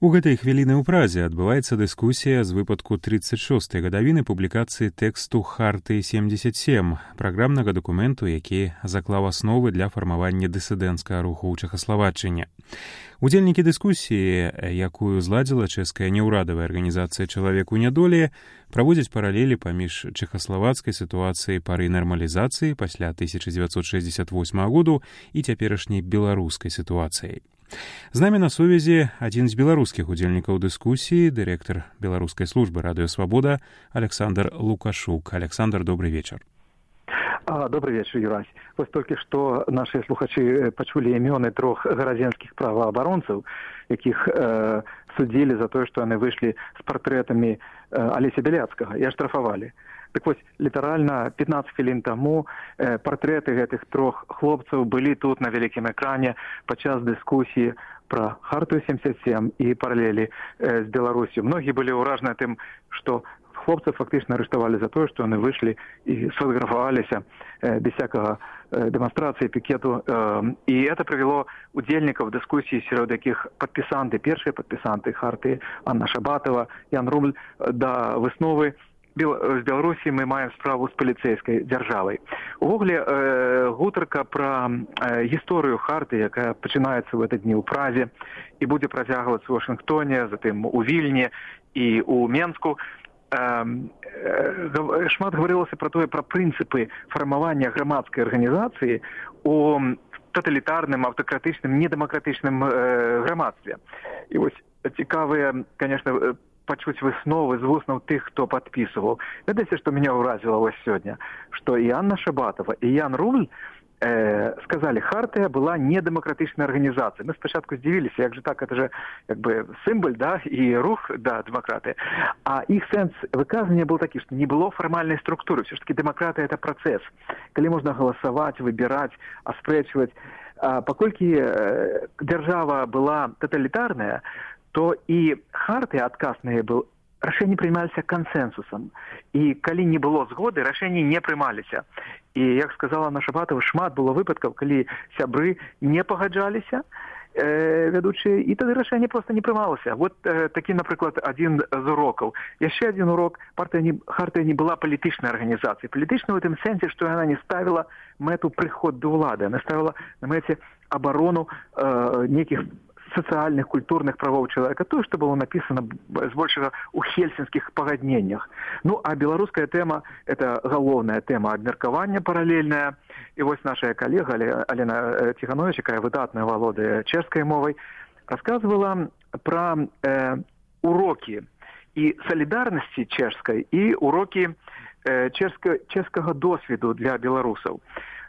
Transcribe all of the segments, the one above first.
У гэтай хвіліны ў Празе адбываецца дыскусія з выпадку 36-й гадавіны публікацыі тэксту Харты 77, праграмнага дакументу, які заклаў асновы для фармавання дысідэнцкага руху ў Чэхаславаччыне. Удзельнікі дыскусіі, якую зладзіла чэшская неўрадавая арганізацыя «Чалавек у нядолі», праводзяць паралелі паміж чэхаславацкай сітуацыяй пары нармалізацыі пасля 1968 году і цяперашняй беларускай сітуацыяй. З намі на сувязі адзін з беларускіх удзельнікаў дыскусіі, дырэктар беларускай службы «Радыё Свабода» Александр Лукашук. Александр, добрый вечер. Добрый вечер, Юрась. Вот только что наши слухачи почули имёны 3 гарадзенскіх праваабаронцаў, якіх судзілі за тое, што яны выйшлі з партрэтамі Алеся Бяляцкага і аштрафавалі. Так вось, літаральна 15 хвілін таму партрэты гэтых 3 хлопцаў былі тут на вялікім экране падчас дыскусіі пра Харту 77 і паралелі з Беларусю. Многія былі ўражаныя тым, што хлопцаў фактычна арыштавалі за тое, што яны выйшлі і сфотаграфаваліся без всякага дэманстрацыі, пікету. І это прывяло удзельнікаў дыскусіі, сярод якіх падпісанты, першыя падпісанты Харты Анна Шабатова, Ян Рубль, да высновы з Беларусі мы маем справу з паліцэйскай дзяржавай. Увогуле, гутарка пра гісторыю Харты, якая пачынаецца ў гэты дні ў Празе і будзе працягвацца ў Вашынгтоне, затым у Вільні і ў Менску, шмат гаварылася пра тое, пра прынцыпы фармавання грамадскай арганізацыі у таталітарным, аўтакратычным, недэмакратычным грамадстве. І вось цікавыя, конечно, пачуць высновы з вуснаў тых, хто падпісываў. Ведаеце, што мяне ўразіла вось сёння? Што і Анна Шабатова, і Ян Рубль сказали, Хартия была недемократичной организацией. Мы спочатку здивились, як же так, это же как бы символ, да, и рух, да, демократии. А их сенс выказывания был такой, что не было формальной структуры. Все-таки демократия – это процесс, когда можно голосовать, выбирать, оспречивать. Покольки держава была тоталитарная, то и Хартия отказ на ней был, рашэнні прымаліся кансенсусам. І калі не было згоды, рашэнні не прымаліся. І, як сказала наша Шабатова, шмат было выпадкаў, калі сябры не пагаджаліся, вядучыя, і тады рашэнне проста не прымалася. Вот такі, напрыклад, адзін з урокаў. Яшчэ адзін урок. Хартия не была палітычнай арганізацыяй. Палітычнай у тым сэнсе, што яна не ставіла мэту прыход да ўлады. Яна ставіла на мэце абарону нейкіх социальных, культурных правоў чалавека, тое, што было напісана збольшага ў хельсінскіх пагадненнях. Ну, а беларуская тэма – это галоўная тэма абмеркавання паралельная. І вось наша калега Алена Тиханович, якая выдатна валодае чэшскай мовай, расказвала пра урокі і салідарнасці чэшскай і урокі чэшскага досведу для беларусаў.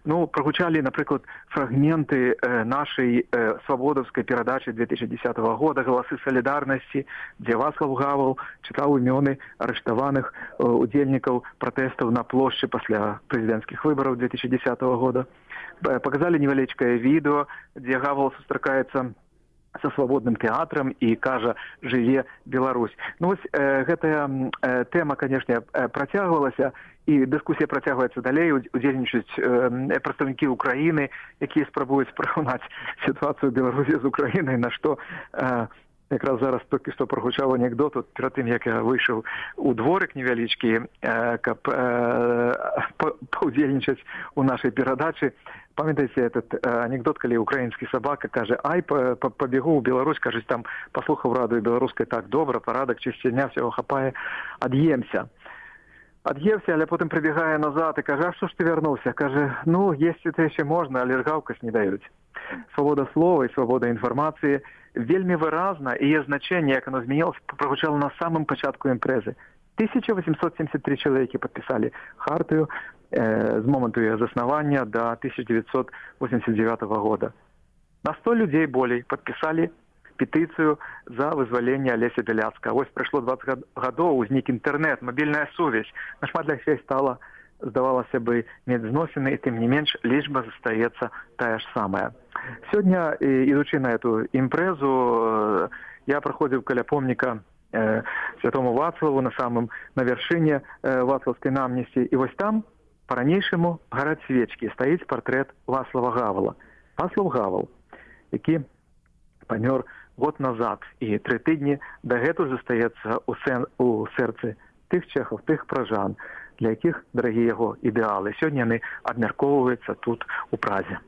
Ну, прогучали, например, фрагменты нашей свободовской передачи 2010 года «Голосы солидарности», где Вацлав Гавел читал имены арестованных удельников протестов на площади после президентских выборов 2010 года. Показали невеличкое видео, где Гавел сустракаецца со свободным театром и кажа «Жыве Беларусь». Ну, вось гэтая тэма, конечно, працягвалася, і дыскусія працягваецца далей, удзельнічаюць прадстаўнікі Украіны, якія спрабуюць параўнаць сітуацыю Беларусі з Украінай, на што якраз зараз толькі што прагучаў анекдот, перад тым, як я выйшаў у дворык невялічкі, каб паўдзельнічаць у нашай перадачы. Памятаеце этот анекдот, калі украінскі сабака кажа, ай, пабегу ў Беларусь, кажуць, там паслухаў радыё беларускай, так добра, парадак, чысціня, всього хапае, ад'емся, але потым прыбегае назад і кажа, а што ж ты вярнуўся? Кажа, ну, есці то яшчэ можна, але ж гаўкаць не даюць. Свабода слова і свабода інфармацыі вельмі выразна, і яе значэнне, як оно змянілася, прагучала на самым пачатку імпрэзы. 1873 чалавекі падпісалі Хартыю з моманту яе заснавання до 1989 года. На 100 людзей болей падпісалі петыцыю за вызваленне Алеся Бяляцкага. Вось прайшло 20 гадоў, узнік інтэрнэт, мабільная сувязь. Нашмат лягчэй стала, здавалася бы, мець зносіны, і тым не менш лічба застаецца тая ж самая. Сёння, ідучы на эту імпрэзу, я праходзіў каля помніка святому Вацлаву на вяршыне Вацлаўскай намнесці, і вось там па-ранейшаму гараць свечкі, стаіць партрэт Вацлава Гавела. Вацлав Гавел, які памёр год назад. І 3 тыдні дагэтуль застаецца у сэрцы тых чэхаў, тых пражан, для якіх дарагі яго ідэалы. Сёння яны абмяркоўваюцца тут у Празе.